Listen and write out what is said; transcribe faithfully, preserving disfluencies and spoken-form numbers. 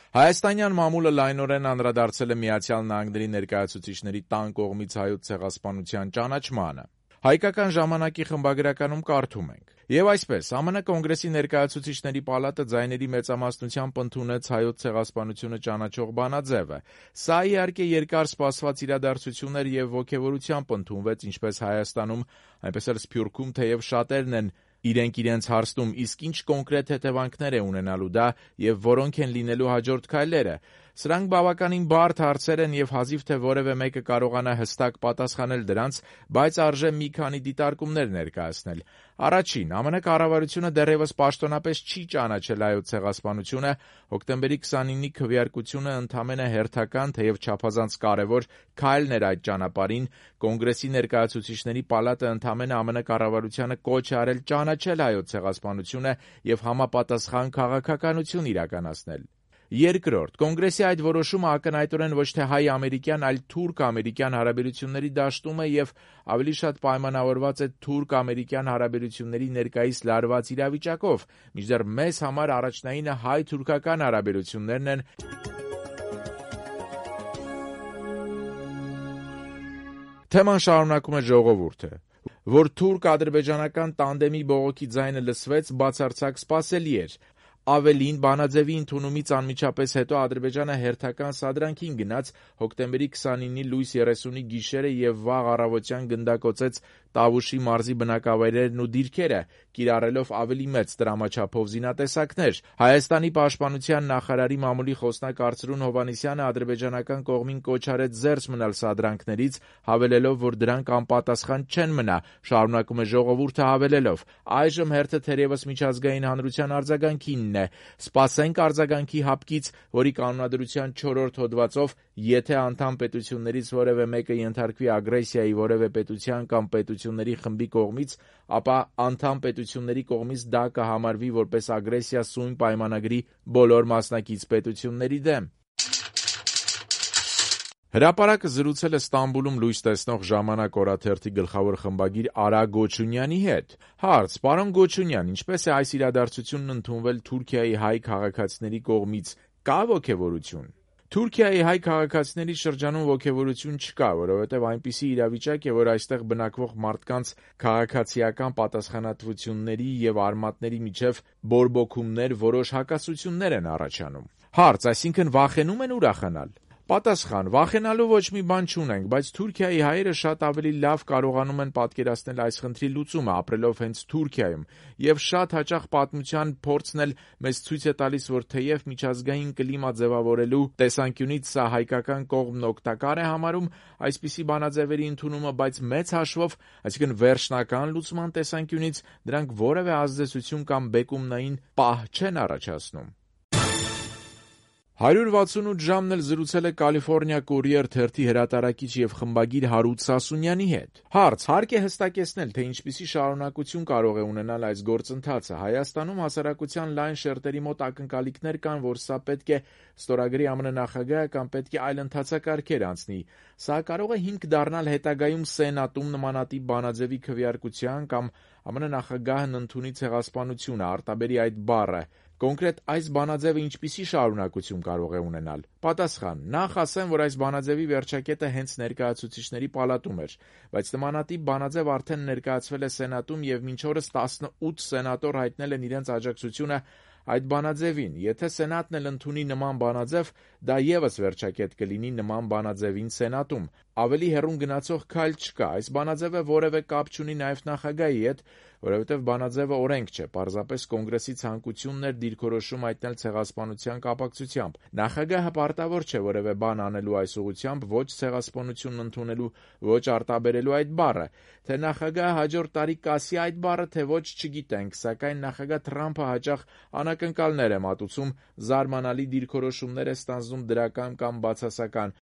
Հայաստանյան մամուլը լայնորեն անդրադարձել է Միացյալ Նահանգների ներկայացուցիչների տան կողմից հայոց ցեղասպանության ճանաչմանը։ Հայկական ժամանակի խմբագրականում կարդում ենք. «Եվ այսպես, ԱՄՆ Կոնգրեսի ներկայացուցիչների պալատը ձայների մեծամասնությամբ ընդունեց հայոց ցեղասպանությունը ճանաչող բանաձևը։ Սա իհարկե երկար սպասված իրադարձություն էր եւ ոգեւորությամբ ընդունվեց ինչպես Հայաստանում, այնպես էլ Սփյուռքում, թեև շատերն են իրենք իրենց հարցնում, իսկ ինչ կոնկրետ հետևանքներ է ունենալու դա եւ որոնք են լինելու հաջորդ քայլերը։ Սրանք բավականին բարդ հարցեր են եւ հազիվ թե որևէ մեկը կարողանա հստակ պատասխանել դրանց, բայց արժե մի քանի դիտարկումներ ներկայացնել։ Առաջին, ԱՄՆ կառավարությունը դեռևս պաշտոնապես չի ճանաչել հայոց ցեղասպանությունը, հոկտեմբերի քսանինի քվեարկությունը ընդամենը հերթական, թեև չափազանց կարևոր քայլն էր այդ ճանապարհին, Կոնգրեսի ներկայացուցիչների պալատը ընդամենը ԱՄՆ կառավարությանը կոչ է արել ճանաչել հայոց ցեղասպանությունը եւ համապատասխան քաղաքականություն իրականացնել։ Երկրորդ, Կոնգրեսի այդ որոշումը ակնհայտորեն ոչ թե հայ-ամերիկյան, այլ թուրք-ամերիկյան հարաբերությունների դաշտում է եւ ավելի շատ պայմանավորված է թուրք-ամերիկյան հարաբերությունների ներկայիս լարված իրավիճակով, մինչդեռ մեզ համար առաջնայինը հայ-թուրքական հարաբերություններն են։ Թեման շարունակում է ժողովուրդը, որ թուրք-ադրբեջանական տանդեմի բողոքի ձայնը լսվեց, բացարձակ սպասելի էր։ Ավելին, բանաձևի ընդունումից անմիջապես հետո Ադրբեջանը հերթական սադրանքին գնաց, հոկտեմբերի քսանինի լույս երեսունի գիշերը եւ վաղ առավոտյան գնդակոծեց Տավուշի մարզի բնակավայրերն ու դիրքերը, կիրառելով ավելի մեծ տրամաչափով զինատեսակներ։ Հայաստանի պաշտպանության նախարարի մամուլի խոսնակ Արծրուն Հովհաննիսյանը ադրբեջանական կողմին կոչ արեց զերծ մնալ սադրանքներից, հավելելով, որ դրանք անպատասխան չեն մնա, շարունակում է ժողովուրդը հավելելով. «Այժմ հերթը թերևս միջազգային հանրության արձագանքինն է։ Սպասենք արձագանքի հապկից, որի կանոնադրության չորրորդ հոդվածով, եթե անդամ պետություններից որևէ մեկը ենթարկվի ագրեսիայի որևէ պետության կամ պետությունների խմբի կողմից, ապա անդամ պետությունների կողմից դա կհամարվի որպես ագրեսիա սույն պայմանագրի բոլոր մասնակից պետությունների դեմ»։ Հրապարակը զրուցել է Ստամբուլում լույս տեսնող «Ժամանակ» օրաթերթի գլխավոր խմբագիր Արա Գոչունյանի հետ։ Հարց. Պարոն Գոչունյան, ինչպես է այս իրադարձությունն ընդունվել Թուրքիայի հայ քաղաքացիների կողմից, կա ոգևորություն։ Թուրքիայի հայ քաղաքացիների շրջանում ոգևորություն չկա, որովհետև այնպիսի իրավիճակ է, որ այստեղ բնակվող մարդկանց քաղաքացիական պատասխանատվությունների եւ արմատների միջև բորբոքումներ, որոշ հակասություններ են առաջանում։ Հարց. Այսինքն վախենում են ուրախանալ։ Պատասխան. վախենալու ոչ մի բան չունենք, բայց Թուրքիայի հայերը շատ ավելի լավ կարողանում են պատկերացնել այս խնդրի լուծումը, ապրելով հենց Թուրքիայում, եւ շատ հաճախ պատմության փորձն էլ մեզ ցույց է տալիս, որ թեև միջազգային կլիմա ձևավորելու տեսանկյունից սա հայկական կողմն օգտակար է համարում այսպիսի բանաձևերի ընդունումը, բայց մեծ հաշվով, այսինքն վերջնական լուծման տեսանկյունից, դրանք որևէ ազդեցություն կամ բեկումնային պահ չեն առաջացնում։ հարյուր վաթսունութ ժամն էլ զրուցել է Կալիֆոռնիա Courier թերթի հրատարակիչ եւ խմբագիր Հարութ Սասունյանի հետ։ Հարց. հարկ է հստակեցնել, թե ինչպիսի շարունակություն կարող է ունենալ այս գործընթացը։ Հայաստանում հասարակության լայն շերտերի մոտ ակնկալիքներ կան, որ սա պետք է ստորագրի ԱՄՆ նախագահը կամ պետք է այլ ընթացակարգեր անցնի։ Սա կարող է հիմք դառնալ հետագայում Սենատում նմանատիպ բանաձևի քվեարկության կամ ԱՄՆ նախագահն ընդունի ցեղասպանությունը, արտաբերի այդ բառը։ Կոնկրետ այս բանաձևը ինչպիսի շարունակություն կարող է ունենալ։ Պատասխան. նախ ասեմ, որ այս բանաձևի վերջակետը հենց ներկայացուցիչների պալատում էր, բայց նմանատիպ բանաձև արդեն ներկայացվել է Սենատում եւ մինչ օրս տասնութ սենատոր հայտնել են իրենց աջակցությունը այդ բանաձևին։ Եթե Սենատն էլ ընդունի նման բանաձև, դա եւս վերջակետ կլինի նման բանաձևին Սենատում։ Ավելի հեռուն գնացող քայլ չկա։ Այս բանաձևը որևէ կապ չունի նաեւ նախագահի հետ, որովհետև բանաձևը օրենք չէ, պարզապես կոնգրեսի ցանկությունն էր դիրքորոշում հայտնել ցեղասպանության կապակցությամբ։ Նախագահը պարտավոր չէ որևէ բան անելու այս ուղղությամբ, ոչ ցեղասպանությունն ընդունելու, ոչ արտաբերելու այդ բառը։ Թե նախագահը հաջորդ տարի կասի այդ բառը, թե ոչ, չգիտենք, սակայն նախագահ Թրամփը հաճախ անակնկալներ է մատուցում, զարմանալի դիրքորոշումներ է ստանձնում դրական կամ բացասական,